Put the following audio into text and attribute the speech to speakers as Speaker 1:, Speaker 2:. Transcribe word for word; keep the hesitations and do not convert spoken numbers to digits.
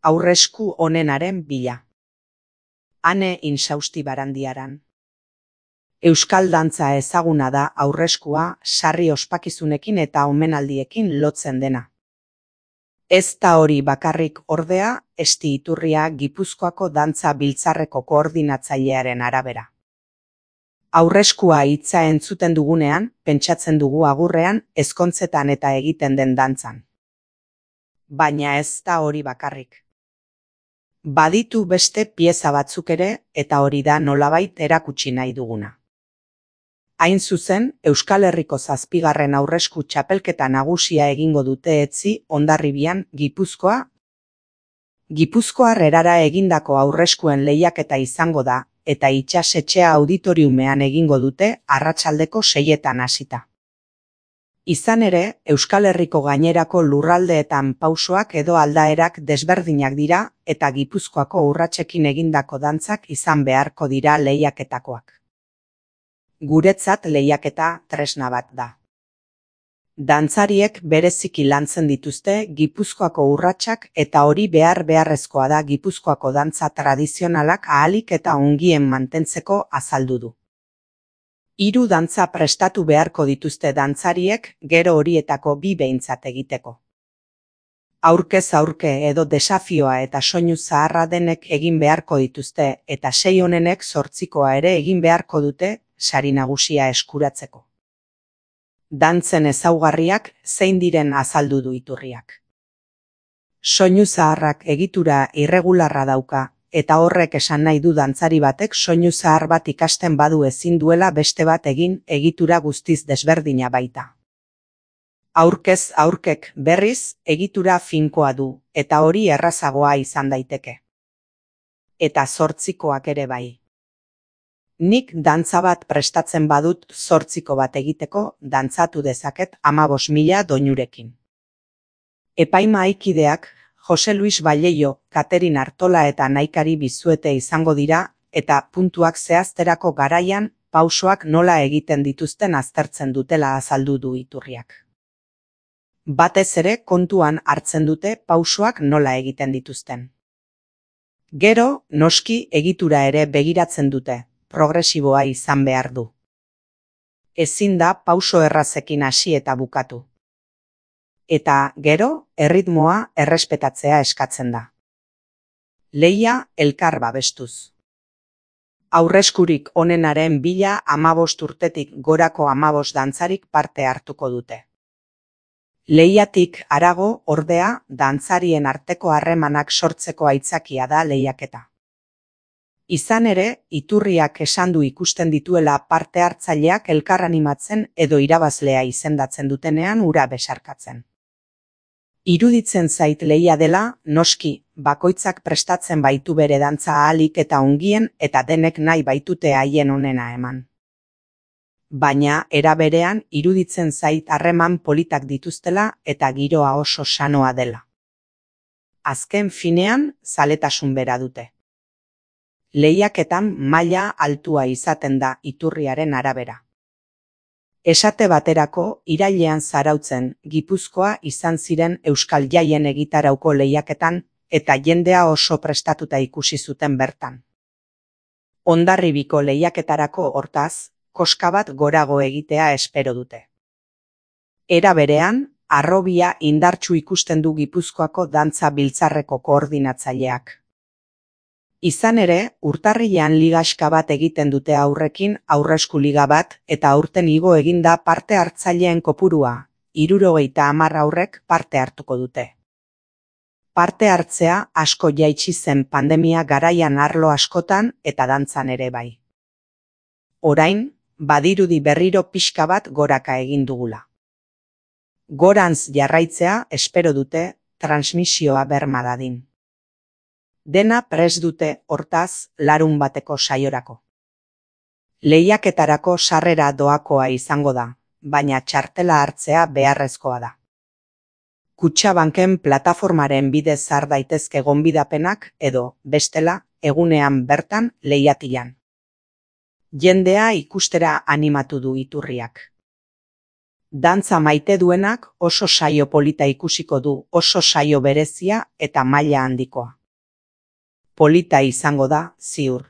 Speaker 1: Aurresku onenaren bila. Ane Insausti Barandiaran. Euskal dantza ezaguna da aurreskua sarri ospakizunekin eta omenaldiekin lotzen dena. Ez da hori bakarrik ordea, Esti Iturria Gipuzkoako dantza biltzarreko koordinatzailearen arabera. Aurreskua hitza entzuten dugunean, pentsatzen dugu agurrean, ezkontzetan eta egiten den dantzan. Baina ez da hori bakarrik. Baditu beste pieza batzuk ere, eta hori da nolabait erakutsi nahi duguna. Hain zuzen, Euskal Herriko zazpigarren aurresku txapelketa nagusia egingo dute Etzi Hondarribian, Gipuzkoa. Gipuzkoar erara egindako aurreskuen lehiaketa izango da, eta itsasetxea auditoriumean egingo dute arratsaldeko seietan hasita. Izan ere, Euskal Herriko gainerako lurraldeetan pausoak edo aldaerak desberdinak dira eta Gipuzkoako urratsekin egindako dantzak izan beharko dira lehiaketakoak. Guretzat lehiaketa tresna bat da. Dantzariek bereziki lantzen dituzte Gipuzkoako urratsak eta hori behar beharrezkoa da Gipuzkoako dantza tradizionalak ahalik eta ongien mantentzeko azaldu du. Hiru dantza prestatu beharko dituzte dantzariek gero horietako bi behintzat egiteko. Aurkez aurke edo desafioa eta soinu zaharra denek egin beharko dituzte eta sei onenek zortzikoa ere egin beharko dute sari nagusia eskuratzeko. Dantzen ezaugarriak zein diren azaldu du Iturriak. Soinu zaharrak egitura irregularra dauka, eta horrek esan nahi du dantzari batek soinu zahar bat ikasten badu ezin duela beste bat egin egitura guztiz desberdina baita. Aurkez aurkek berriz egitura finkoa du, eta hori errazagoa izan daiteke. Eta zortzikoak ere bai. Nik dantza bat prestatzen badut zortziko bat egiteko dantzatu dezaket hamabost mila doinurekin. Epaimahaikideak Jose Luis Balleio, Katerin Artola eta Naikari Bizuete izango dira eta puntuak zehazterako garaian pausoak nola egiten dituzten aztertzen dutela azaldu du Iturriak. Batez ere kontuan hartzen dute pausoak nola egiten dituzten. Gero, noski egitura ere begiratzen dute, progresiboa izan behar du. Ezin da pauso errazekin hasi eta bukatu. Eta, gero, erritmoa errespetatzea eskatzen da. Lehia elkar babestuz. Aurreskurik onenaren bila hamabost urtetik gorako hamabost dantzarik parte hartuko dute. Lehiatik harago, ordea, dantzarien arteko harremanak sortzeko aitzakia da lehiaketa. Izan ere, Iturriak esan du ikusten dituela parte hartzaileak elkar animatzen edo irabazlea izendatzen dutenean ura besarkatzen. Iruditzen zait lehia dela, noski, bakoitzak prestatzen baitu bere dantza ahalik eta ongien eta denek nahi baitute haien onena eman. Baina, era berean, iruditzen zait harreman politak dituztela eta giroa oso sanoa dela. Azken finean, zaletasun bera dute. Lehiaketan maila altua izaten da Iturriaren arabera. Esate baterako, irailean Zarautzen, Gipuzkoa izan ziren Euskal Jaien egitarauko lehiaketan eta jendea oso prestatuta ikusi zuten bertan. Hondarribiko lehiaketarako hortaz, koska bat gorago egitea espero dute. Era berean, harrobia indartsu ikusten du Gipuzkoako dantza biltzarreko koordinatzaileak. Izan ere, urtarrilean ligaxka bat egiten dute aurrekin aurresku liga bat eta aurten igo eginda parte hartzaileen kopurua, hirurogeita hamar aurrek parte hartuko dute. Parte hartzea asko jaitsi zen pandemia garaian arlo askotan eta dantzan ere bai. Orain, badirudi berriro pixka bat goraka egin dugula. Gorantz jarraitzea espero dute transmisioa berma dadin. Dena prest dute hortaz larun bateko saiorako. Lehiaketarako sarrera doakoa izango da, baina txartela hartzea beharrezkoa da. Kutxabanken plataformaren bidez har daitezke gonbidapenak edo, bestela, egunean bertan lehiatilan. Jendea ikustera animatu du Iturriak. Dantza maite duenak oso saio polita ikusiko du, oso saio berezia eta maila handikoa. Polita izango da, ziur.